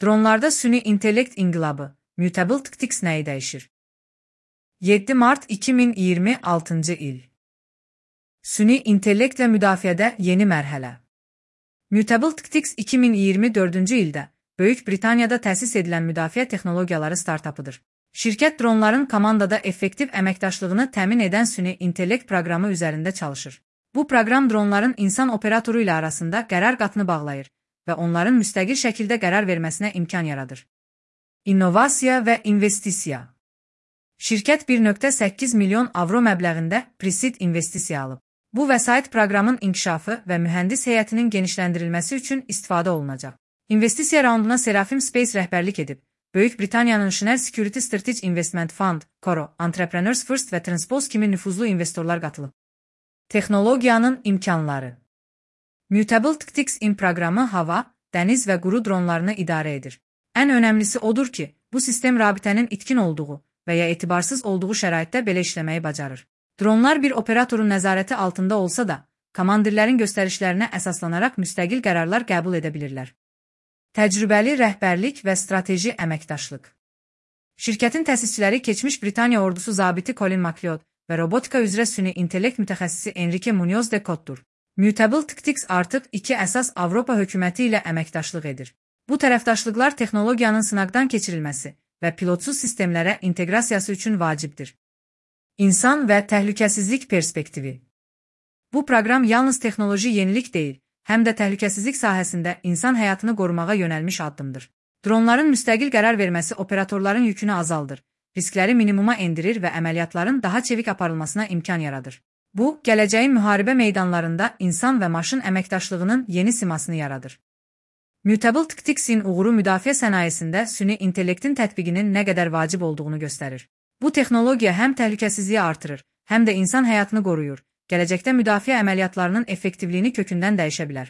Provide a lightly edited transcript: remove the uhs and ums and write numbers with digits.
Dronlarda süni intellekt inqilabı, Mutable Tactics nəyi dəyişir? 7 mart 2026 il. Süni intellektlə müdafiədə yeni mərhələ. Mutable Tactics 2024-cü ildə Böyük Britaniyada təsis edilən müdafiə texnologiyaları startapıdır. Şirkət dronların komandada effektiv əməkdaşlığını təmin edən süni intellekt proqramı üzərində çalışır. Bu proqram dronların insan operatoru ilə arasında qərar qatını bağlayır və onların müstəqil şəkildə qərar verməsinə imkan yaradır. İnnovasiya və investisiya. Şirkət 1,8 milyon avro məbləğində pre-seed investisiya alıb. Bu vəsait proqramın inkişafı və mühəndis heyətinin genişləndirilməsi üçün istifadə olunacaq. İnvestisiya raunduna Seraphim Space rəhbərlik edib. Böyük Britaniyanın Schnell Security Strategic Investment Fund, Coro, Entrepreneurs First və Transpose kimi nüfuzlu investorlar qatılıb. Texnologiyanın imkanları. Mutable Tactics in proqramı hava, dəniz və quru dronlarını idarə edir. Ən önəmlisi odur ki, bu sistem rabitənin itkin olduğu və ya etibarsız olduğu şəraitdə belə işləməyi bacarır. Dronlar bir operatorun nəzarəti altında olsa da, komandirlərin göstərişlərinə əsaslanaraq müstəqil qərarlar qəbul edə bilirlər. Təcrübəli rəhbərlik və strateji əməkdaşlıq. Şirkətin təsisçiləri keçmiş Britaniya ordusu zabiti Colin McLeod və robotika üzrə süni intellekt mütəxəssisi Enrique Munoz de Cottur. Mutable Tactics artıq iki əsas Avropa hökuməti ilə əməkdaşlıq edir. Bu tərəfdaşlıqlar texnologiyanın sınaqdan keçirilməsi və pilotsuz sistemlərə inteqrasiyası üçün vacibdir. İnsan və təhlükəsizlik perspektivi. Bu proqram yalnız texnoloji yenilik deyil, həm də təhlükəsizlik sahəsində insan həyatını qorumağa yönəlmiş addımdır. Dronların müstəqil qərar verməsi operatorların yükünü azaldır, riskləri minimuma endirir və əməliyyatların daha çevik aparılmasına imkan yaradır. Bu, gələcəyin müharibə meydanlarında insan və maşın əməkdaşlığının yeni simasını yaradır. Mutable Tactics'in uğuru müdafiə sənayesində süni intellektin tətbiqinin nə qədər vacib olduğunu göstərir. Bu texnologiya həm təhlükəsizliyi artırır, həm də insan həyatını qoruyur. Gələcəkdə müdafiə əməliyyatlarının effektivliyini kökündən dəyişə bilər.